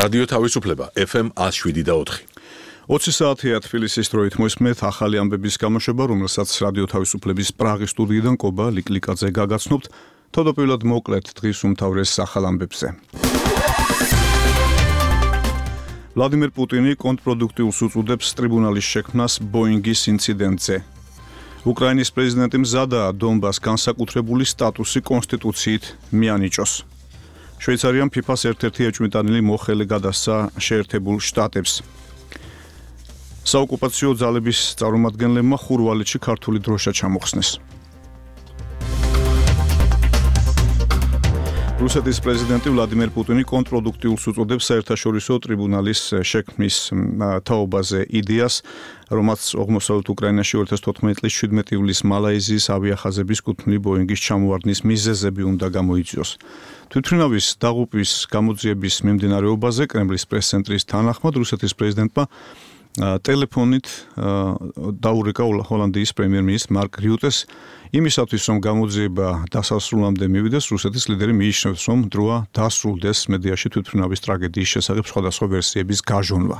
რადიო თავისუფლება FM 107.4. 20 საათია თბილისის დროით მოსმენთ ახალი ამბების გამოშვება, რომელსაც რადიო თავისუფლების პრაღის სტუდიიდან კობა ლიკლიკაძე გაგაცნობთ. თავდაპირველად მოკლედ დღის უმთავრეს ახალ ამბებზე. ვლადიმერ პუტინი კონტრპროდუქტიულს უწოდებს ტრიბუნალის შექმნას ბოინგის ინციდენტზე. უკრაინის პრეზიდენტი მზადაა დონბას განსაკუთრებული სტატუსი კონსტიტუციით მიანიჭოს. შვეიცარიამ FIFA-ს ერთ-ერთი ეჭვმიტანილი მოხელე გადასცა შეერთებულ შტატებს. საოკუპაციო ძალების წარმომადგენლებმა ხურვალეთში ქართული დროშა ჩამოხსნეს. რუსეთის პრეზიდენტი ვლადიმერ პუტინი კონტრპროდუქტიულს უწოდებს საერთაშორისო ტრიბუნალის შექმნის თაობაზე იდეას, რომელსაც აღმოსავლეთ უკრაინაში 2014 წლის 17 ივლისს მალაიზიის ავიახაზების კუთვნილი ბოინგის ჩამოვარდნის მიზეზები უნდა გამოიწვიოს. თვითმფრინავის დაღუპვის გამოძიების მიმდინარეობაზე კრემლის პრეს-ცენტრის თანახმად რუსეთის პრეზიდენტმა ტელეფონით დაურეკა ჰოლანდიის პრემიერ-მინისტრ მარკ რიუტეს იმისათვის, რომ გამოძიება დასასრულამდე მივიდეს, რუსეთის ლიდერი მიიჩნევს, რომ დროა დასრულდეს მედიაში თვითმფრინავის ტრაგედიის შესახებ სხვადასხვა ვერსიების გაჟონვა.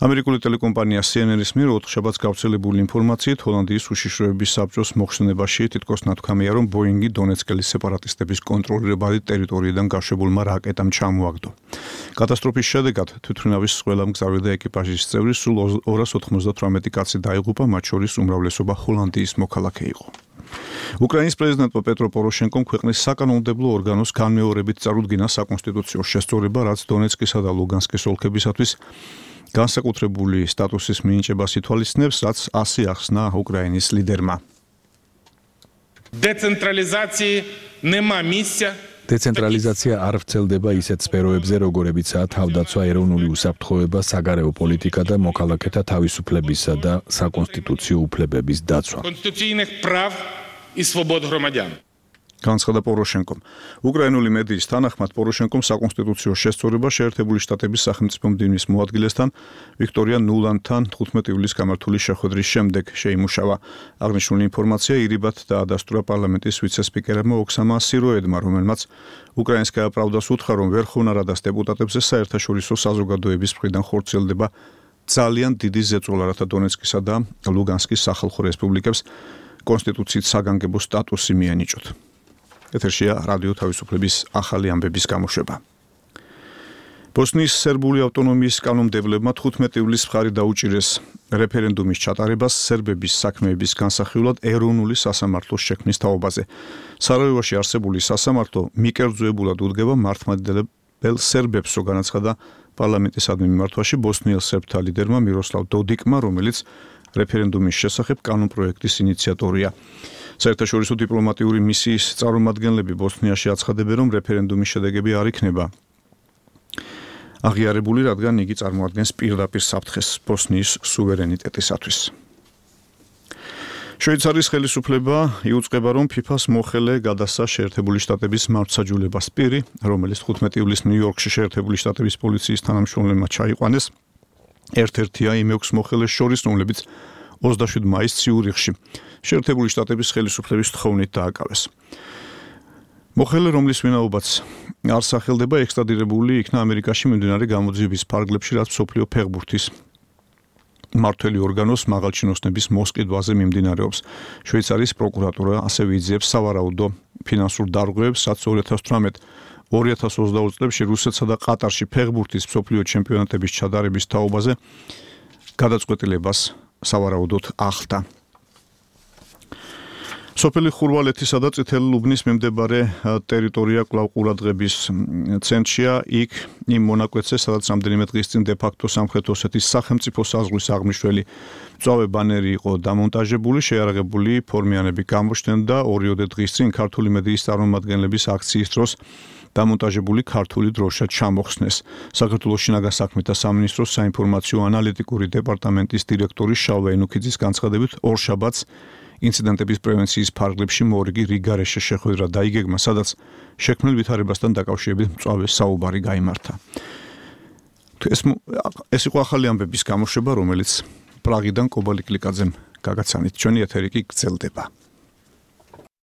ამერიკული ტელეკომპანია CNN-ის მიერ ოთხშაბათს გავრცელებული ინფორმაციით ჰოლანდიის უშიშროების საბჭოს მოხსნებაში თითქოს ნათქვამია, რომ ბოინგი დონეცკელის სეპარატისტების კონტროლირებადი ტერიტორიიდან გაშვებულმა რაკეტამ ჩამოაგდო. კატასტროფის შედეგად თვითმფრინავის ყველა მგზავრი და ეკიპაჟის წევრი სულ 298 კაცი დაიღუპა, მათ შორის უმრავლესობა ჰოლანდიის მოქალაქე იყო. უკრაინის პრეზიდენტმა პეტრო პოროშენკომ ქვეყნის საკანონმდებლო ორგანოს განმეორებით წარუდგინა საკონსტიტუციო შესწორება, რაც დონეცკისა და ლუგანსკის ოლქებისათვის განსაკუთრებული სტატუსის მინიჭებას ითვალისწინებს, რაც ასე ახსნა უკრაინის ლიდერმა. დეცენტრალიზაცია არ ვრცელდება ისეთ სფეროებზე, როგორებიცაა თავდაცვა, ეროვნული უსაფრთხოება, საგარეო პოლიტიკა და მოქალაქეთა თავისუფლებისა და საკონსტიტუციო უფლებების დაცვა. განცხადა პოროშენკომ. უკრაინული მედიის თანახმად პოროშენკომ საკონსტიტუციო შესწორება შეერთებული შტატების სახელმწიფო მდივნის მოადგილესთან ვიქტორია ნულანდთან 15 ივლისს გამართული შეხვედრის შემდეგ შეიმუშავა. აღნიშნული ინფორმაცია ირიბად დაადასტურა პარლამენტის ვიცე-სპიკერმა ოქსამა სიროედმა, რომელმაც უკრაინსკაია პრავდას უთხრა, რომ ვერხოვნა რადას დეპუტატებზე საერთაშორისო საზოგადოების მხრიდან ხორციელდება ძალიან დიდი ზეწოლა, რათა დონეცკისა და ლუგანსკის სახალხო რესპუბლიკებს კონსტიტუციით საგანგებო სტატუსი მიანიჭოთ. ეთერშია რადიო თავისუფლების ახალი ამბების გამოშვება. ბოსნიის სერბული ავტონომიის კანონმდებლებმა 15 ივლისს მხარი დაუჭირეს რეფერენდუმის ჩატარებას სერბების საქმეების განსახილვად ეროვნული სასამართლოს შექმნის თაობაზე. სარაევოში არსებული სასამართლო მიკერძოებულად უდგება მართლმადიდებელ სერბებს, რო განაცხადა პარლამენტისადმი მიმართვაში ბოსნიელ სერბთა ლიდერმა მიროსლავ დოდიკმა, რომელიც რეფერენდუმის შესახებ კანონპროექტის ინიციატორია. საერთაშორისო დიპლომატიური მისიის წარმომადგენლები ბოსნიაში აცხადებენ, რომ რეფერენდუმის შედეგები არ იქნება აღიარებული, რადგან იგი წარმოადგენს პირდაპირ საფრთხეს ბოსნიის სუვერენიტეტისათვის. შვეიცარიის ხელისუფლება იუწყება, რომ FIFA-ს მოხელე გადასცა შეერთებული შტატების მართლმსაჯულებას პირი, რომელიც 15 ივლისს ნიუ-იორკში შეერთებული შტატების პოლიციის თანამშრომლებმა ჩაიყვანეს. ერთ-ერთია იმ 6 მოხელეს შორის, რომლებიც 27 მაისს ციურიხში შეერთებული შტატების ხელისუფლების თხოვნით დააკავეს. მოხელე, რომლის ვინაობაც არ სახელდება, ექსტრადირებული იქნა ამერიკაში მიმდინარე გამოძიების ფარგლებში, რაც მსოფლიო ფეხბურთის მმართველი ორგანოს მაღალჩინოსნების მოსყიდვაზე მიმდინარეობს. შვეიცარიის პროკურატურა ასევე იძიებს სავარაუდო ფინანსურ დარღვევებს, რაც 2018-2020 წლებში რუსეთსა და ყატარში ფეხბურთის მსოფლიო ჩემპიონატების ჩატარების თაობაზე გადაწყვეტილებას სავარაუდოდ ახლდა. სოფელი ხურვალეთისა და წითელი ლუბნის მიმდებარე ტერიტორია კვლავ ყურადღების ცენტრშია. იქ იმ მონაკვეთზე, სადაც რამდენიმე დღის წინ დე-ფაქტო სამხრეთ ოსეთის სახელმწიფო საზღვრის აღმნიშვნელი მწვავე ბანერი იყო დამონტაჟებული, შეიარაღებული ფორმიანები გამოჩნდნენ და 2 დღის წინ ქართული მედიის წარმომადგენლების აქციის დროს დამონტაჟებული ქართული დროშა ჩამოხსნეს. საქართველოს შინაგან საქმეთა სამინისტროს საინფორმაციო ანალიტიკური დეპარტამენტის დირექტორი შალვა ენუქიძის განცხადებით, ორშაბათს ინციდენტების პრევენციის ფარგლებში მორიგი რიგარეშე შეხვედრა დაიგეგმა, სადაც შექმნილ ვითარებასთან დაკავშირებით მწვავე საუბარი გაიმართა. ეს იყო ახალი ამბების გამოშვება, რომელიც პრაღიდან კობა ლიკლიკაძემ გაგაცანით. ჩვენი ეთერი კი გრძელდება.